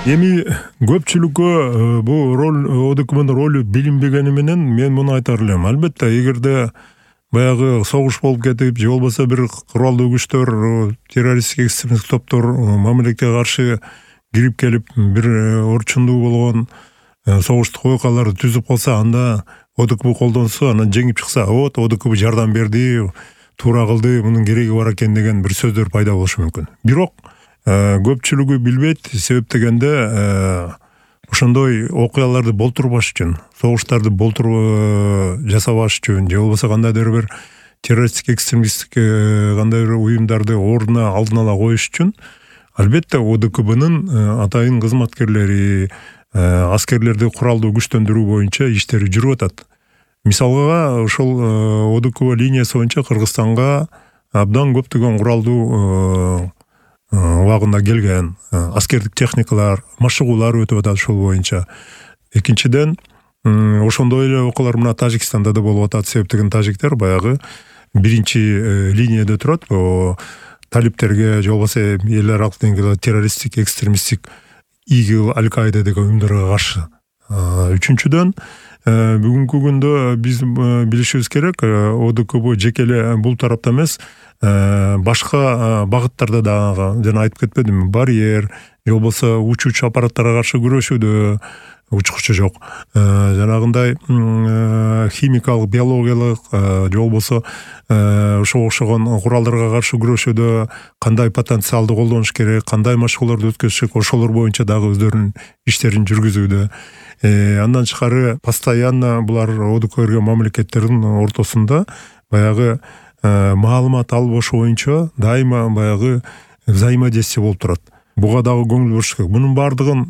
Эми көпчүлүккө бул роль ОДКБнын ролу билинбегени менен мен муну айтар элем. Албетте, эгерде баягы согуш болуп кетип, же болбосо бир куралдуу күчтөр, террористтик экстремисттик топтор мамлекетке каршы кирип келип, бир орчундуу болгон согуштук окуяларды түзүп калса, анда ОДКБ колдонсо, анан жеңип чыкса, вот ОДКБ жардам берди, туура кылды, мунун кереги бар экен деген бир сөздөр пайда болушу мүмкүн. Бирок көпчүлүгү билбейт, себеп дегенде ошондой окуяларды болтурбаш үчүн, согуштарды жасабаш үчүн, же болбосо кандайдыр бир террористтик экстремисттик кандайдыр уюмдарды ордуна алдын ала коюш үчүн албетте ОДКБнын атайын кызматкерлери, аскерлерди куралдуу күчтөндүрүү боюнча иштери жүрүп атат. Мисалга, ошол ОДКБ линиясы боюнча Кыргызстанга абдан көптөгөн куралдуу убагында келген аскердик техникалар, машыгуулар өтүп атат ошол боюнча. Экинчиден, ошондой эле окуялар мына Тажикстанда да болуп атат. Себеп деген тажиктер баягы биринчи линияда турат. Талиптерге, же болбосо эл аралык деңгээлде террористтик, экстремисттик ИГИЛ, Аль-Каида деген уюмдарга каршы. Үчүнчүдөн, бүгүнкү күндө биз билишибиз керек, ОДКБ жеке эле бул тарапта эмес, башка багыттарда дагы, жана айтып кетпедимби, барьер, же болбосо учуучу аппараттарга каршы күрөшүүдө, учкучу жок, жанагындай химикалык, биологиялык, же болбосо ошого окшогон куралдарга каршы күрөшүүдө кандай потенциалды колдонуш керек, кандай машыгууларды өткөзүш керек, ошолор боюнча дагы өздөрүнүн иштерин жүргүзүүдө. Андан тышкары постоянно булар ОДКБ мамлекеттердин ортосунда баягы маалымат албашуу боюнча дайыма баягы взаимодействие болуп турат. Буга дагы көңүл буруш керек. Мунун баардыгын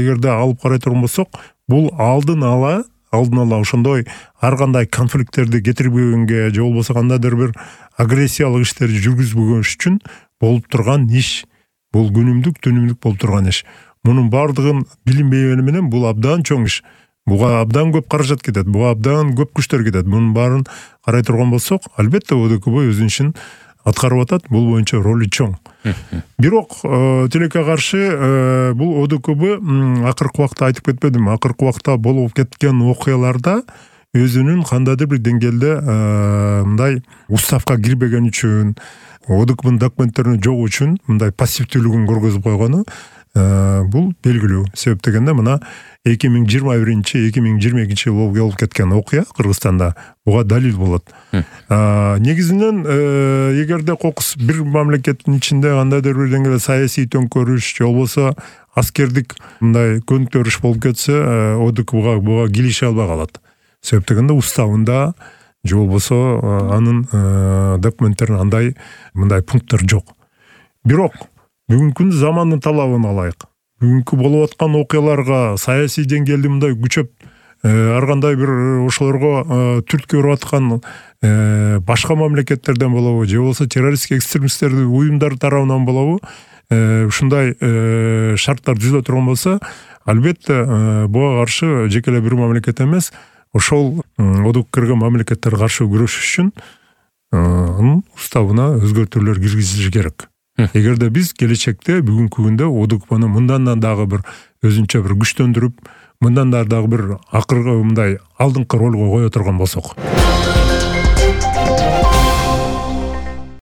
эгерде алып карай турган болсок, бул алдын ала ошондой ар кандай конфликттерди кетирбегенге, же болбосо кандайдыр бир агрессиялык иштерди жүргүзбөгөн үчүн болуп турган иш. Бул күнүмдүк болуп турган иш. Мунун баардыгын билинбегени менен бул абдан чоң иш. Буга абдан көп каражат кетет, буга абдан көп күчтөр кетет. Мунун баарын карай турган болсок, албетте ОДКБ өзүнүн ишин аткарып атат. Бул боюнча ролу чоң. Бирок тилекке каршы бул ОДКБ акыркы убакта айтып кетпедимби? Акыркы убакта болуп кеткен окуяларда өзүнүн кандайдыр бир деңгээлде мындай уставка кирбеген үчүн, ОДКБнын документтерин жогуу үчүн мындай пассивдүүлүгүн көргөзүп койгону бул белгилүү. Себеп дегенде мына 2021-2022 жыл болуп кеткен окуя Кыргызстанда буга далил болот. Негизинен эгерде кокус бир мамлекеттин ичинде кандайдыр бир деңгээлде саясий төңкөрүш, же болбосо аскердик мындай көндөрүш болуп кетсе, ОДКБга буга килише албай калат. Себеп дегенде уставында, же болбосо анын документтерин мындай пункттар жок. Бирок бүгүнкү замандын талабын алайык. Бүгүнкү болуп аткан окуяларга саясий деңгээлде мындай күчөп, ар кандай бир ошолорго түрткү берип аткан башка мамлекеттерден болобу, же болбосо террористтик экстремисттердин уюмдары тарабынан болобу, ушундай шарттар түзүлө турган болсо, албетте буга каршы жеке эле бир мамлекет эмес, ошол ОДКБга кирген мамлекеттер каршы күрөшүш үчүн анын уставына өзгөртүүлөр киргизилиши керек. Эгерде биз келечекте бүгүнкү күндө ОДКБны мындан дагы бир өзүнчө бир күчтөндүрүп, мындан дагы бир акыркы мындай алдыңкы ролго кое турган болсок.